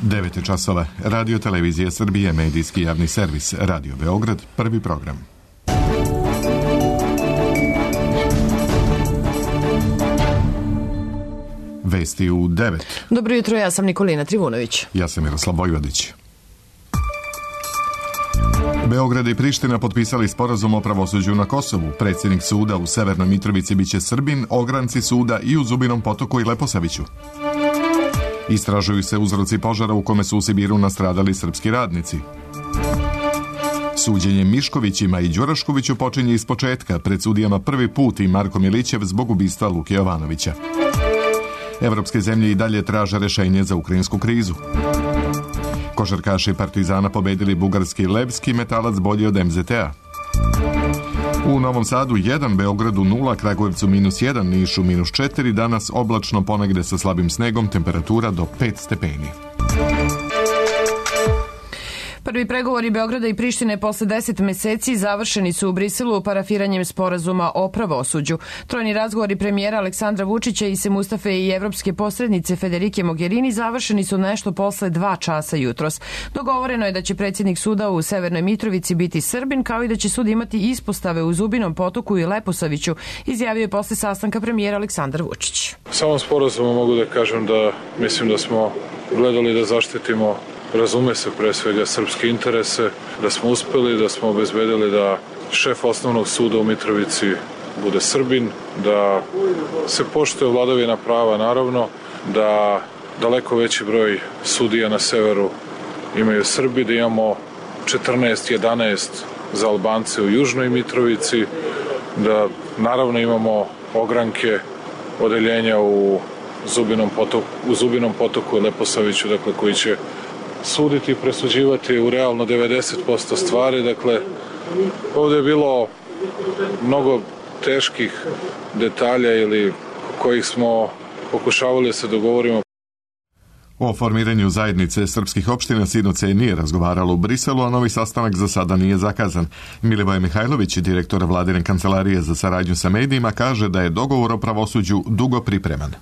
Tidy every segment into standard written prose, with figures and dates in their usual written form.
9 časova. Radio Televizija Srbije, medijski javni servis, Radio Beograd, prvi program. Vesti u 9. Dobro jutro, ja sam Nikolina Trivunović. Ja sam Miroslav Vojvodić. Beograd i Priština potpisali sporazum o pravosuđu na Kosovu. Predsjednik suda u Severnoj Mitrovici biće Srbin, ogranci suda i u Zubinom Potoku i Leposaviću. Istražuju se uzroci požara u kome su u Sibiru nastradali srpski radnici. Suđenje Miškovićima i Đuraškoviću počinje iz početka, pred sudijama prvi put i Marko Milićev zbog ubistva Luke Jovanovića. Evropske zemlje i dalje traže rešenje za ukrajinsku krizu. Košarkaši Partizana pobedili bugarski Levski, Metalac bolji od MZT-a. U Novom Sadu 1, Beogradu 0, Kragujevcu -1, Nišu -4, danas oblačno ponegde sa slabim snegom, temperatura do 5 stepeni. Prvi pregovori Beograda i Prištine posle 10 meseci završeni su u Briselu parafiranjem sporazuma o pravosuđu. Trojni razgovori premijera Aleksandra Vučića i Mustafe i evropske posrednice Federike Mogherini završeni su nešto posle 2 časa jutros. Dogovoreno je da će predsjednik suda u Severnoj Mitrovici biti Srbin, kao i da će sud imati ispostave u Zubinom Potoku i Leposaviću, izjavio je posle sastanka premijera Aleksandar Vučić. Samom sporazumu mogu da kažem da mislim da smo gledali da zaštitimo, razume se, pre svega srpske interese, da smo uspeli, da smo obezbedili da šef osnovnog suda u Mitrovici bude Srbin, da se poštuje vladavina prava, naravno, da daleko veći broj sudija na severu imaju Srbi, da imamo 14-11 za Albance u Južnoj Mitrovici, da naravno imamo ogranke odeljenja u Zubinom Potoku i Leposaviću, dakle, koji će suditi i presuđivati u realno 90% stvari. Dakle, ovdje je bilo mnogo teških detalja ili kojih smo pokušavali da se dogovorimo. O formiranju zajednice srpskih opština sinoć se nije razgovaralo u Briselu, a novi sastanak za sada nije zakazan. Milivoje Mihajlović, direktor Vladine kancelarije za saradnju sa medijima, kaže da je dogovor o pravosuđu dugo pripreman.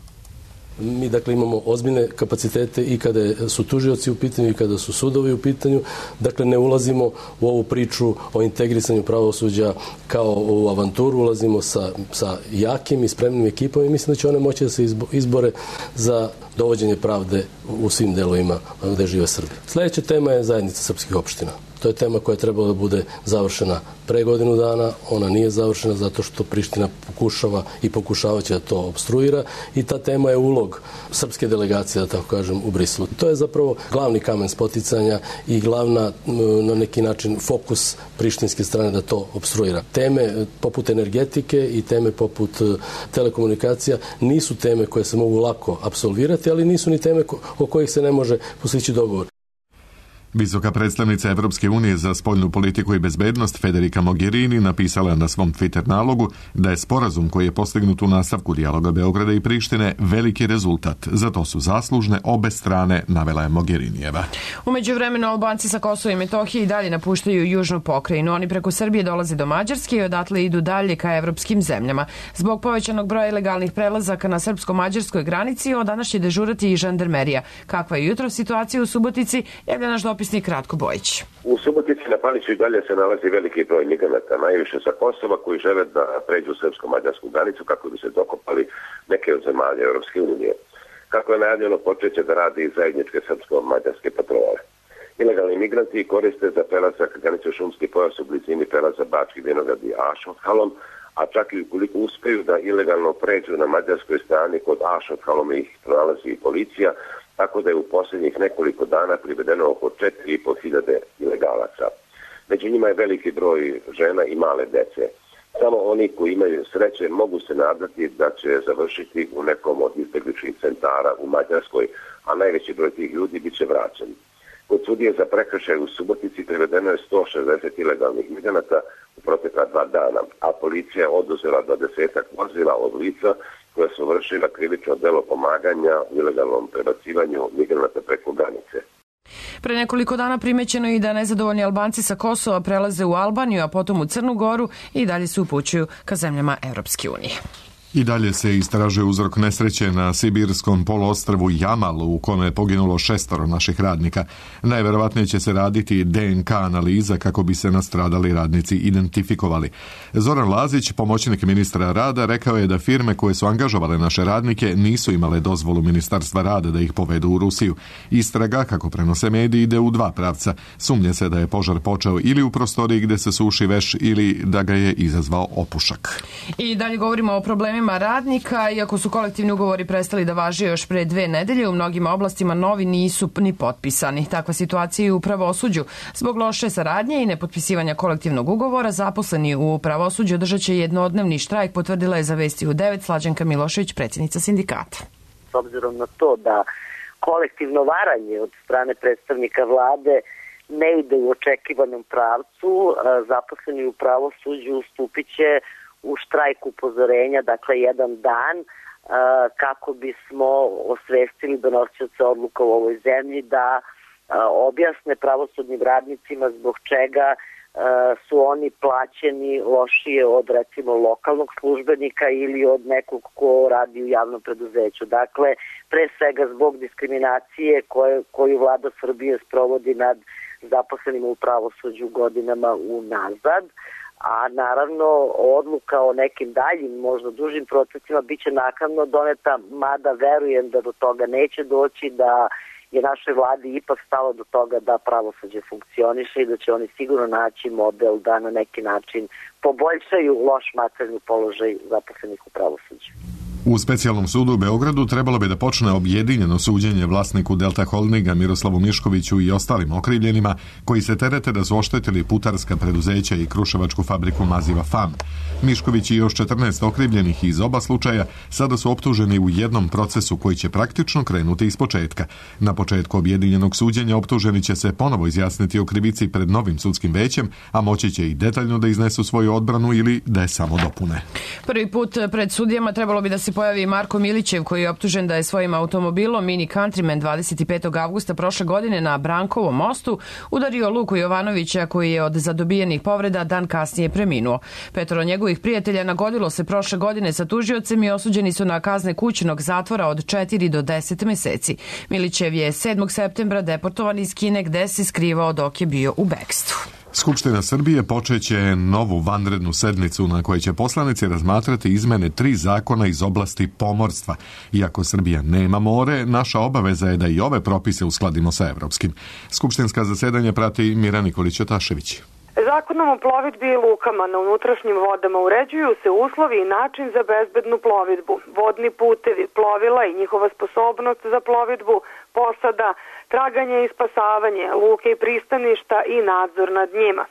Mi dakle imamo ozbiljne kapacitete i kada su tužioci u pitanju i kada su sudovi u pitanju. Dakle, ne ulazimo u ovu priču o integrisanju pravosuđa kao u avanturu, ulazimo sa jakim i spremnim ekipom i mislim da će one moći da se izbore za dovođenje pravde u svim delovima gde žive Srbi. Sljedeća tema je zajednica srpskih opština. To je tema koja je trebala da bude završena pre godinu dana, ona nije završena zato što Priština pokušava i pokušavaće da to obstruira i ta tema je ulog srpske delegacije, da tako kažem, u Briselu. To je zapravo glavni kamen spoticanja i glavna, na neki način, fokus prištinske strane da to obstruira. Teme poput energetike i teme poput telekomunikacija nisu teme koje se mogu lako apsolvirati, ali nisu ni teme o kojih se ne može postići dogovor. Visoka predstavnica Evropske unije za spoljnu politiku i bezbednost Federika Mogherini napisala na svom Twitter nalogu da je sporazum koji je postignut u nastavku dijaloga Beograda i Prištine veliki rezultat. Za to su zaslužne obe strane, navela je Mogherinijeva. U međuvremenu Albanci sa Kosova i Metohije i dalje napuštaju južnu pokrajinu. Oni preko Srbije dolaze do Mađarske i odatle idu dalje ka evropskim zemljama. Zbog povećanog broja ilegalnih prelazaka na srpsko-mađarskoj granici od danas će dežurati i žandarmerija. Kakva je jutro situacija u Subotici, javlja naš dopisnik Ratko Bojić. U Subotici na Paliću i dalje se nalazi veliki broj migranata, najviše sa Kosova, koji žele da pređu srpsko-mađarsku granicu kako bi se dokopali neke od zemalja Europske unije. Kako je najavljeno, počeće da radi i zajedničke srpsko-mađarske patrole. Ilegalni migranti koriste za prelazak granicu šumski pojas u blizini prelaza Bački Vinograd i Ašothalom, a čak i ukoliko uspeju da ilegalno pređu na mađarskoj strani kod Ašothalom ih pronalazi i policija, tako da je u posljednjih nekoliko dana privedeno oko 4.500 ilegalaca. Među njima je veliki broj žena i male dece. Samo oni koji imaju sreće mogu se nadati da će završiti u nekom od izbegličkih centara u Mađarskoj, a najveći broj tih ljudi bit će vraćen. Kod sudije za prekršaj u Subotici privedeno je 160 ilegalnih migranata u protekla 2 dana, a policija je oduzela 20 vozila od lica koja su vršila krivično delo pomaganja u ilegalnom prebacivanju migranata preko granice. Pre nekoliko dana primećeno je i da nezadovoljni Albanci sa Kosova prelaze u Albaniju, a potom u Crnu Goru i dalje se upućuju ka zemljama Evropske unije. I dalje se istražuje uzrok nesreće na sibirskom poluostrvu Jamal u kome je poginulo 6 naših radnika. Najverovatnije će se raditi DNK analiza kako bi se nastradali radnici identifikovali. Zoran Lazić, pomoćnik ministra rada, rekao je da firme koje su angažovale naše radnike nisu imale dozvolu Ministarstva rada da ih povedu u Rusiju. Istraga, kako prenose mediji, ide u 2 pravca. Sumnje se da je požar počeo ili u prostoriji gde se suši veš ili da ga je izazvao opušak. I dalje govorimo o problemima radnika, iako su kolektivni ugovori prestali da važe još pre 2 nedelje, u mnogim oblastima novi nisu ni potpisani. Takva situacija je u pravosuđu. Zbog loše saradnje i nepotpisivanja kolektivnog ugovora, zaposleni u pravosuđu održat će jednodnevni štrajk, potvrdila je za Vesti u 9 Slađanka Milošević, predsjednica sindikata. S obzirom na to da kolektivno varanje od strane predstavnika vlade ne ide u očekivanom pravcu, zaposleni u pravosuđu stupit će u štrajk upozorenja, dakle 1 dan, kako bismo osvestili donosioce odluka u ovoj zemlji da objasne pravosudnim radnicima zbog čega su oni plaćeni lošije od recimo lokalnog službenika ili od nekog ko radi u javnom preduzeću. Dakle, pre svega zbog diskriminacije koju vlada Srbije sprovodi nad zaposlenima u pravosuđu godinama unazad. A naravno odluka o nekim daljim, možda dužim procesima biće naknadno doneta, mada verujem da do toga neće doći, da je našoj vladi ipak stalo do toga da pravosuđe funkcioniše i da će oni sigurno naći model da na neki način poboljšaju loš materijalni položaj zaposlenih u pravosuđu. U specijalnom sudu u Beogradu trebalo bi da počne objedinjeno suđenje vlasniku Delta Holdinga Miroslavu Miškoviću i ostalim okrivljenima koji se terete da su oštetili putarska preduzeća i kruševačku fabriku maziva FAM. Mišković i još 14 okrivljenih iz oba slučaja sada su optuženi u jednom procesu koji će praktično krenuti iz početka. Na početku objedinjenog suđenja optuženi će se ponovo izjasniti o krivici pred novim sudskim većem, a moći će i detaljno da iznesu svoju odbranu ili da je samo dopune. Prvi put pred sudijama trebalo bi da se pojavi Marko Milićev, koji je optužen da je svojim automobilom Mini Countryman 25. avgusta prošle godine na Brankovom mostu udario Luku Jovanovića, koji je od zadobijenih povreda dan kasnije preminuo. 5 njegovih prijatelja nagodilo se prošle godine sa tužiocem i osuđeni su na kazne kućnog zatvora od 4 do 10 meseci. Milićev je 7. septembra deportovan iz Kine, gde se skrivao dok je bio u bekstvu. Skupština Srbije počeće novu vanrednu sednicu na kojoj će poslanici razmatrati izmene 3 zakona iz oblasti pomorstva. Iako Srbija nema more, naša obaveza je da i ove propise uskladimo sa evropskim. Skupštinska zasedanja prati Mira Nikolić-Otašević. Zakonom o plovidbi i lukama na unutrašnjim vodama uređuju se uslovi i način za bezbednu plovidbu, vodni putevi, plovila i njihova sposobnost za plovidbu, posada, traganje i spasavanje, luke i pristaništa i nadzor nad njima.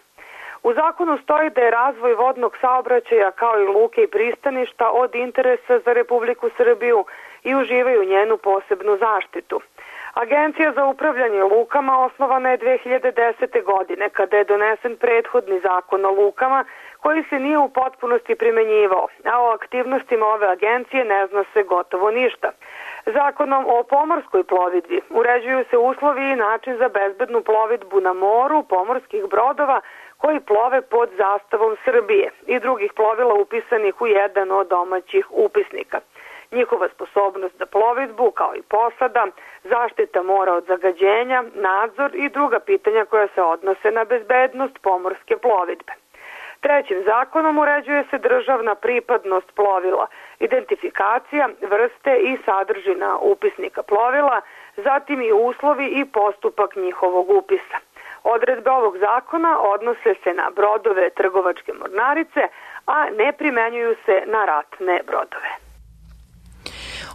U zakonu stoji da je razvoj vodnog saobraćaja kao i luke i pristaništa od interesa za Republiku Srbiju i uživaju njenu posebnu zaštitu. Agencija za upravljanje lukama osnovana je 2010. godine kada je donesen prethodni zakon o lukama koji se nije u potpunosti primenjivao, a o aktivnostima ove agencije ne zna se gotovo ništa. Zakonom o pomorskoj plovidbi uređuju se uslovi i način za bezbednu plovidbu na moru pomorskih brodova koji plove pod zastavom Srbije i drugih plovila upisanih u jedan od domaćih upisnika. Njihova sposobnost za plovidbu, kao i posada, zaštita mora od zagađenja, nadzor i druga pitanja koja se odnose na bezbednost pomorske plovidbe. Trećim zakonom uređuje se državna pripadnost plovila, identifikacija, vrste i sadržina upisnika plovila, zatim i uslovi i postupak njihovog upisa. Odredbe ovog zakona odnose se na brodove trgovačke mornarice, a ne primenjuju se na ratne brodove.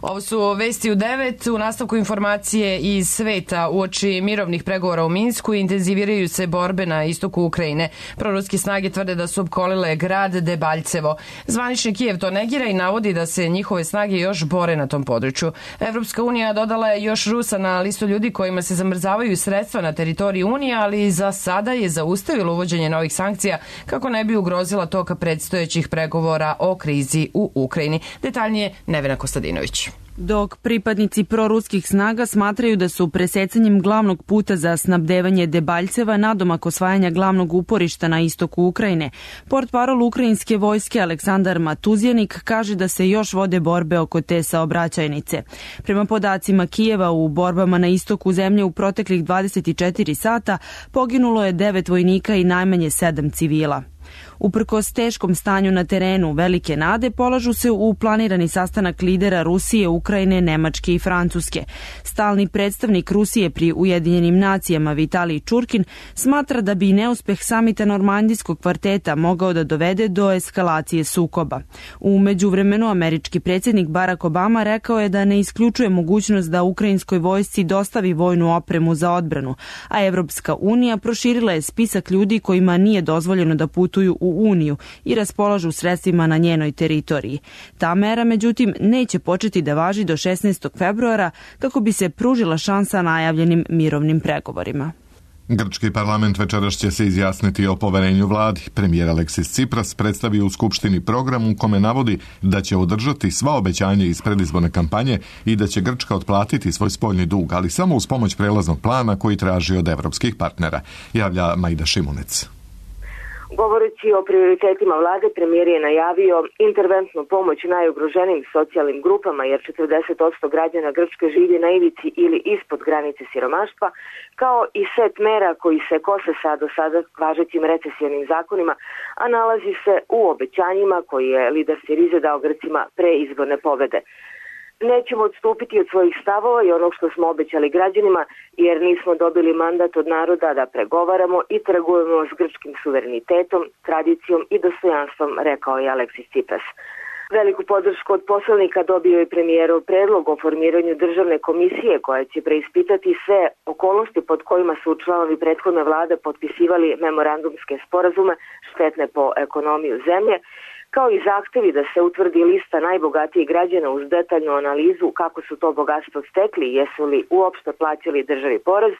Ovo su Vesti u 9. U nastavku informacije iz sveta. Uoči mirovnih pregovora u Minsku intenziviraju se borbe na istoku Ukrajine. Proruske snage tvrde da su opkolile grad Debaljevo. Zvanični Kijev to negira i navodi da se njihove snage još bore na tom području. Evropska unija dodala je još Rusa na listu ljudi kojima se zamrzavaju sredstva na teritoriji Unije, ali za sada je zaustavilo uvođenje novih sankcija kako ne bi ugrozila toka predstojećih pregovora o krizi u Ukrajini. Detaljnije Nevena Kostadinović. Dok pripadnici proruskih snaga smatraju da su presecanjem glavnog puta za snabdevanje Debaljceva nadomak osvajanja glavnog uporišta na istoku Ukrajine, portparol ukrajinske vojske Aleksandar Matuzjanik kaže da se još vode borbe oko te saobraćajnice. Prema podacima Kijeva, u borbama na istoku zemlje u proteklih 24 sata poginulo je 9 vojnika i najmanje 7 civila. Uprkos teškom stanju na terenu, velike nade polažu se u planirani sastanak lidera Rusije, Ukrajine, Nemačke i Francuske. Stalni predstavnik Rusije pri Ujedinjenim nacijama Vitalij Čurkin smatra da bi neuspeh samita Normandijskog kvarteta mogao da dovede do eskalacije sukoba. U međuvremenu američki predsjednik Barack Obama rekao je da ne isključuje mogućnost da ukrajinskoj vojsci dostavi vojnu opremu za odbranu, a Evropska unija proširila je spisak ljudi kojima nije dozvoljeno da putuju u Uniju i raspolažu sredstvima na njenoj teritoriji. Ta mera, međutim, neće početi da važi do 16. februara kako bi se pružila šansa najavljenim mirovnim pregovorima. Grčki parlament večeras će se izjasniti o poverenju vladi. Premijer Aleksis Tsipras predstavio u Skupštini program u kome navodi da će održati sva obećanja iz predizborne kampanje i da će Grčka otplatiti svoj spoljni dug, ali samo uz pomoć prelaznog plana koji traži od evropskih partnera, javlja Majda Šimunec. Govoreći o prioritetima vlade, premijer je najavio interventnu pomoć najugroženijim socijalnim grupama, jer 40% građana Grčke živi na ivici ili ispod granice siromaštva, kao i set mera koji se kose sa do sada važećim recesijnim zakonima, a nalazi se u obećanjima koji je lider Sirize dao Grcima pre izborne pobede. Nećemo odstupiti od svojih stavova i onog što smo obećali građanima, jer nismo dobili mandat od naroda da pregovaramo i trgujemo s grčkim suverenitetom, tradicijom i dostojanstvom, rekao je Aleksis Tsipras. Veliku podršku od poslanika dobio je premijerov predlog o formiranju državne komisije koja će preispitati sve okolnosti pod kojima su članovi prethodne vlade potpisivali memorandumske sporazume štetne po ekonomiju zemlje, kao i zahtevi da se utvrdi lista najbogatijih građana uz detaljnu analizu kako su to bogatstvo stekli i jesu li uopšte plaćali državi porez,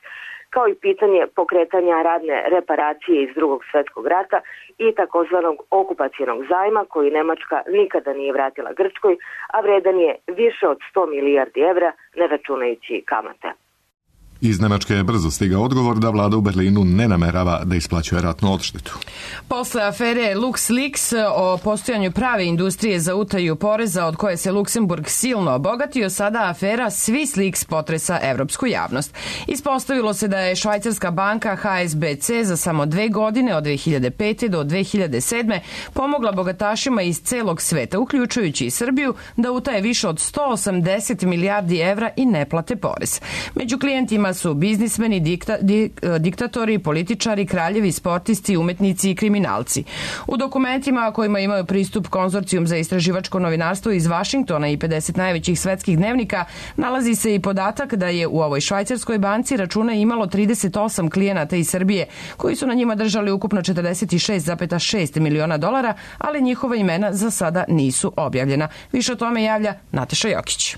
kao i pitanje pokretanja radne reparacije iz Drugog svjetskog rata i takozvanog okupacionog zajma koji Nemačka nikada nije vratila Grčkoj, a vredan je više od 100 milijardi evra, ne računajući kamate. Iz Nemačke je brzo stigao odgovor da vlada u Berlinu ne namerava da isplaćuje ratnu odštetu. Posle afere LuxLeaks o postojanju prave industrije za utaju poreza od koje se Luksemburg silno obogatio, sada afera SwissLeaks potresa evropsku javnost. Ispostavilo se da je švajcarska banka HSBC za samo 2 godine od 2005. do 2007. pomogla bogatašima iz celog sveta, uključujući i Srbiju, da utaje više od 180 milijardi evra i ne plate porez. Među klijentima su biznismeni, diktatori, političari, kraljevi, sportisti, umetnici i kriminalci. U dokumentima kojima imaju pristup Konzorcijum za istraživačko novinarstvo iz Vašingtona i 50 najvećih svetskih dnevnika nalazi se i podatak da je u ovoj švajcarskoj banci račune imalo 38 klijenata iz Srbije koji su na njima držali ukupno 46,6 miliona dolara, ali njihova imena za sada nisu objavljena. Više o tome javlja Nataša Jokić.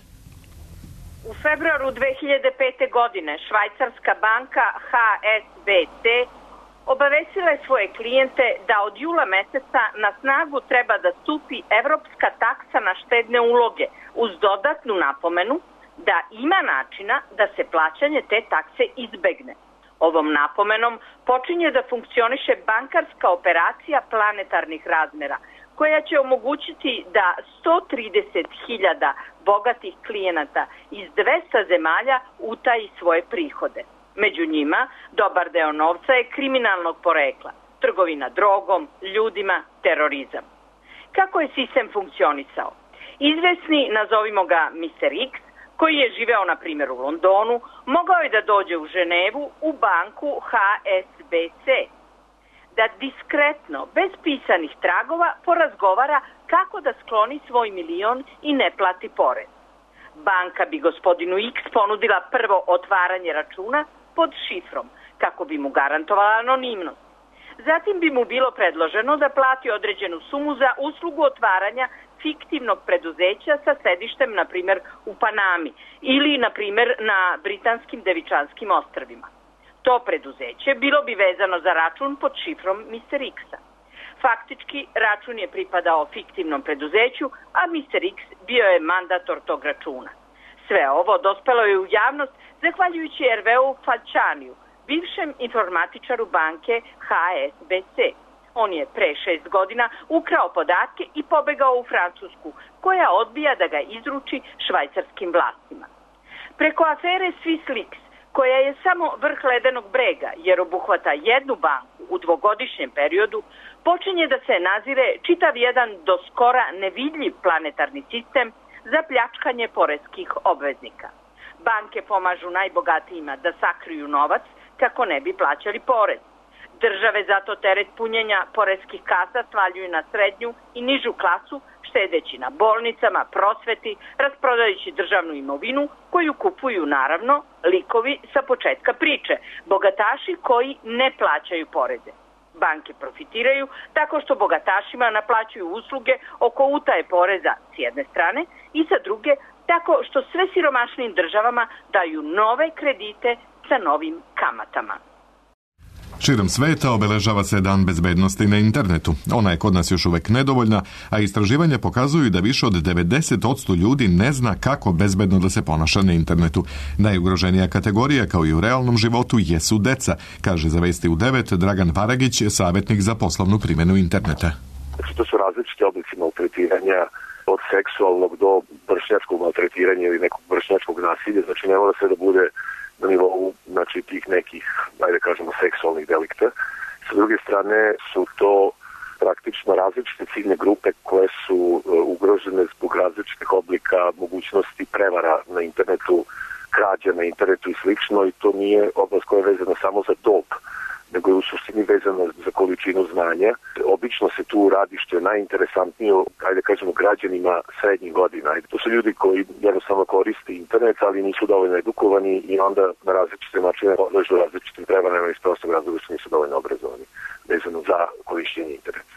U februaru 2005. godine švajcarska banka HSBC obavestila je svoje klijente da od jula meseca na snagu treba da stupi evropska taksa na štedne uloge uz dodatnu napomenu da ima načina da se plaćanje te takse izbegne. Ovom napomenom počinje da funkcioniše bankarska operacija planetarnih razmera koja će omogućiti da 130.000 bogatih klijenata iz 200 zemalja utaji svoje prihode. Među njima dobar deo novca je kriminalnog porekla, trgovina drogom, ljudima, terorizam. Kako je sistem funkcionisao? Izvesni, nazovimo ga Mr. X, koji je živeo na primjer u Londonu, mogao je da dođe u Ženevu u banku HSBC, da diskretno, bez pisanih tragova, porazgovara kako da skloni svoj milion i ne plati porez. Banka bi gospodinu X ponudila prvo otvaranje računa pod šifrom, kako bi mu garantovala anonimnost. Zatim bi mu bilo predloženo da plati određenu sumu za uslugu otvaranja fiktivnog preduzeća sa sedištem, na primjer, u Panami ili, na primjer, na Britanskim Devičanskim ostrvima. To preduzeće bilo bi vezano za račun pod šifrom Mr. X-a. Faktički, račun je pripadao fiktivnom preduzeću, a Mr. X bio je mandator tog računa. Sve ovo dospelo je u javnost zahvaljujući Hervéu Falcianiju, bivšem informatičaru banke HSBC. On je pre 6 godina ukrao podatke i pobegao u Francusku, koja odbija da ga izruči švajcarskim vlastima. Preko afere SwissLeaks, koja je samo vrh ledenog brega jer obuhvata jednu banku u dvogodišnjem periodu, počinje da se nazire čitav jedan do skora nevidljiv planetarni sistem za pljačkanje poreskih obveznika. Banke pomažu najbogatijima da sakriju novac kako ne bi plaćali porez. Države zato teret punjenja poreskih kasa svaljuju na srednju i nižu klasu, štedeći na bolnicama, prosveti, rasprodajući državnu imovinu koju kupuju naravno likovi sa početka priče, bogataši koji ne plaćaju poreze. Banke profitiraju tako što bogatašima naplaćuju usluge oko utaje poreza s jedne strane i sa druge tako što sve siromašnim državama daju nove kredite sa novim kamatama. Širom sveta obeležava se Dan bezbednosti na internetu. Ona je kod nas još uvek nedovoljna, a istraživanja pokazuju da više od 90% ljudi ne zna kako bezbedno da se ponaša na internetu. Najugroženija kategorija, kao i u realnom životu, jesu deca, kaže za Vesti u 9 Dragan Varagić, savjetnik za poslovnu primjenu interneta. To su različiti oblici maltretiranja, od seksualnog do vršnjačkog maltretiranja ili nekog vršnjačkog nasilja, znači ne mora se da bude na nivou, znači, tih nekih, ajde kažemo, seksualnih delikta. Sa druge strane su to praktično različite ciljne grupe koje su ugrožene zbog različitih oblika mogućnosti prevara na internetu, krađa na internetu i slično, i to nije oblast koja je vezana samo za dob, nego je u suštini vezana za količinu znanja. Obično se tu radi, što je najinteresantnije, ajde kažemo, građanima srednjih godina. To su ljudi koji jednostavno koriste internet, ali nisu dovoljno edukovani i onda na različite načine podležu različitim prevarama iz prostog razloga što nisu dovoljno obrazovani vezano za korišćenje interneta.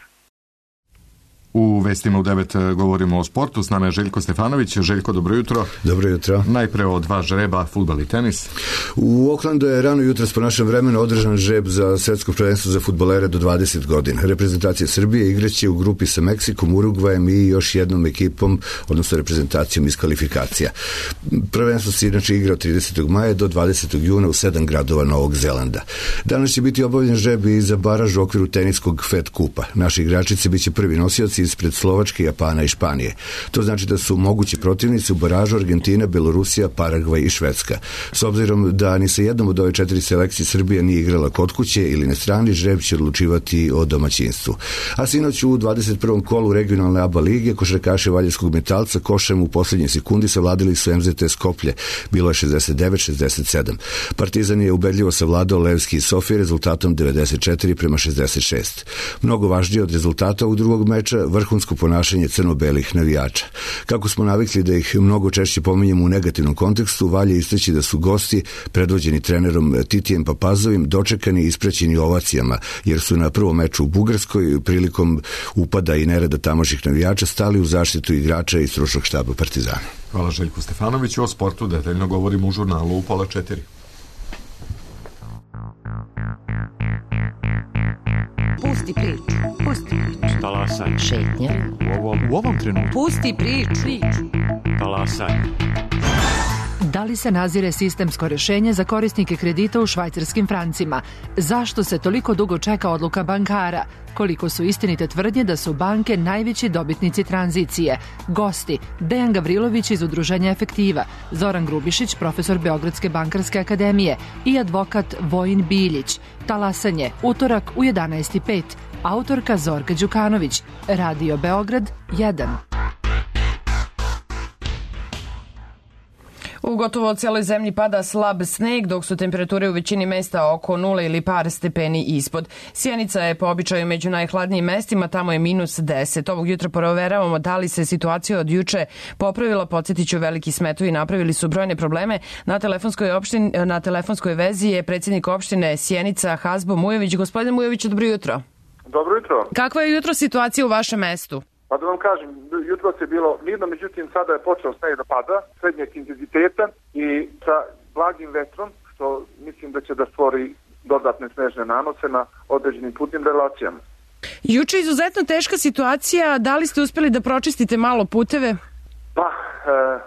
U Vestima u 9 govorimo o sportu. S nama je Željko Stefanović. Željko, dobro jutro. Dobro jutro. Najpre o dva žreba, fudbal i tenis. U Oklandu je rano jutros po našem vremenu održan žreb za svetsko prvenstvo za fudbalere do 20 godina. Reprezentacija Srbije igraće u grupi sa Meksikom, Urugvajem i još jednom ekipom, odnosno reprezentacijom iz kvalifikacija. Prvenstvo se inače igra od 30. maja do 20. juna u 7 gradova Novog Zelanda. Danas će biti obavljen žreb i za baraž u okviru teniskog Fed kupa. Naši igračice biće prvi nosioci ispred Slovačke, Japana i Španije. To znači da su mogući protivnici u baražu Argentina, Belorusija, Paragvaj i Švedska. S obzirom da ni sa jednom od ove 4 selekcije Srbija nije igrala kod kuće ili na strani, žreb će odlučivati o domaćinstvu. A sinoć u 21. kolu regionalne ABA lige košarkaši Valjevskog Metalca košem u posljednjoj sekundi savladili su MZT Skoplje. Bilo je 69-67. Partizan je ubedljivo savladao Levski i Sofije rezultatom 94-66. Mnogo važnije od rezultata u drugog meča vrhunsko ponašanje crno-belih navijača. Kako smo navikli da ih mnogo češće pominjemo u negativnom kontekstu, valja istaći da su gosti, predvođeni trenerom Titijem Papazovim, dočekani i ispraćeni ovacijama, jer su na prvom meču u Bugarskoj prilikom upada i nereda tamošnjih navijača stali u zaštitu igrača i stručnog štaba Partizana. Hvala Željku Stefanoviću. O sportu detaljno govorimo u žurnalu u 3:30. Pusti priču. Talasaj. Šetnja. U ovom trenutku. Pusti priču. Talasaj. Da li se nazire sistemsko rješenje za korisnike kredita u švajcarskim francima? Zašto se toliko dugo čeka odluka bankara? Koliko su istinite tvrdnje da su banke najveći dobitnici tranzicije? Gosti: Dejan Gavrilović iz Udruženja Efektiva, Zoran Grubišić, profesor Beogradske bankarske akademije, i advokat Vojin Biljić. Talasanje, utorak u 11:05. Autorka Zorka Đukanović. Radio Beograd 1. U gotovo cijeloj zemlji pada slab sneg, dok su temperature u većini mesta oko 0 ili par stepeni ispod. Sjenica je po običaju među najhladnijim mestima, tamo je -10. Ovog jutra proveravamo da li se situacija od juče popravila. Podsjetiću, veliki smetovi napravili su brojne probleme. Na telefonskoj vezi je predsjednik opštine Sjenica Hazbo Mujović. Gospodin Mujović, dobro jutro. Dobro jutro. Kakva je jutro situacija u vašem mestu? Pa da vam kažem, jutro je bilo mirno, međutim sada je počeo sneg da pada, srednjeg intenziteta i sa blagim vetrom, što mislim da će da stvori dodatne snežne nanose na određenim putnim relacijama. Juče je izuzetno teška situacija, da li ste uspjeli da pročistite malo puteve? Pa,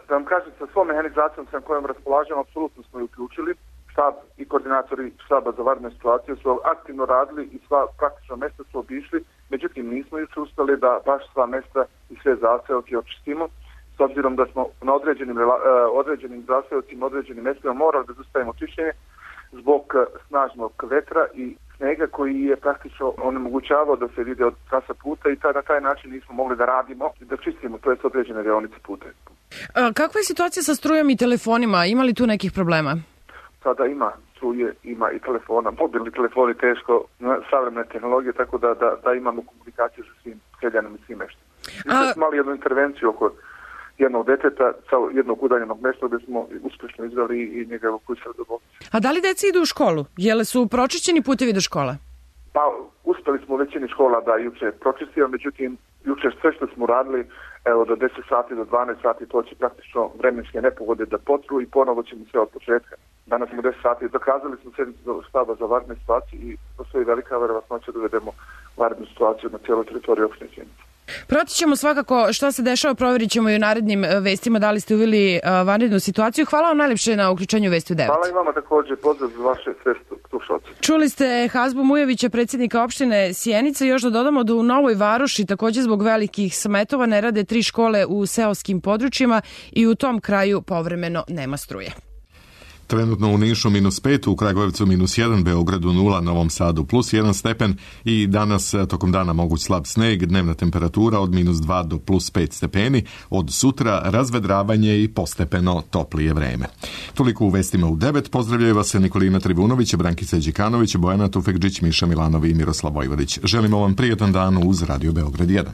da vam kažem, sa svom mehanizacijom sa kojom raspolažemo, apsolutno smo ju uključili. Štab i koordinatori štaba za vanredne situacije su aktivno radili i sva praktično mesta su obišli, međutim nismo juče uspeli da baš sva mesta i sve zaseoke očistimo, s obzirom da smo na određenim zaseocima, određenim mestima morali da zastavimo čišćenje zbog snažnog vetra i snega koji je praktično onemogućavao da se vide od trasa puta i na taj način nismo mogli da radimo i da čistimo, to je određene deonice puta. Kakva je situacija sa strujom i telefonima? Ima li tu nekih problema? Sada ima struje, ima i telefona, mobilni telefoni teško, savremene tehnologije, tako da imamo komunikaciju sa svim seljanom i svim meštima. Mi smo imali jednu intervenciju oko jednog deteta sa jednog udaljenog mesta gde smo uspešno izveli i njega evakuisali do bolnice. A da li deca idu u školu? Jele su pročišćeni putevi do škola? Pa uspeli smo u većini škola da juče pročistimo, međutim juče sve što smo radili, evo do 10 sati, do 12 sati, to će praktično vremenske nepogode da potru i ponovo ćemo sve od početka. Danas smo 10 sati, dokazali smo sednicu štaba za vanredne situacije i postoji velika verovatnoća da uvedemo vanrednu situaciju na cijeloj teritoriji opštine Sjenica. Pratit ćemo svakako šta se dešava, provjerit ćemo i u narednim vestima da li ste uveli vanrednu situaciju. Hvala vam najlepše na uključenju Vesti u 9. Hvala i vama također, pozdrav za vaše sve slušalce. Čuli ste Hazbu Mujovića, predsjednika opštine Sjenica. Još da dodamo da u Novoj Varoši također zbog velikih smetova ne rade 3 škole u seoskim područjima i u tom kraju povremeno nema struje. Trenutno u Nišu -5, u Kragujevcu -1, Beogradu 0, Novom Sadu +1 stepen i danas tokom dana moguć slab sneg, dnevna temperatura od -2 do +5 stepeni, od sutra razvedravanje i postepeno toplije vreme. Toliko u vestima u 9, pozdravljaju vas Nikolina Trivunović, Brankica Đikanović, Bojana Tufekđić, Miša Milanov i Miroslav Vojvodić. Želimo vam prijetan dan uz Radio Beograd 1.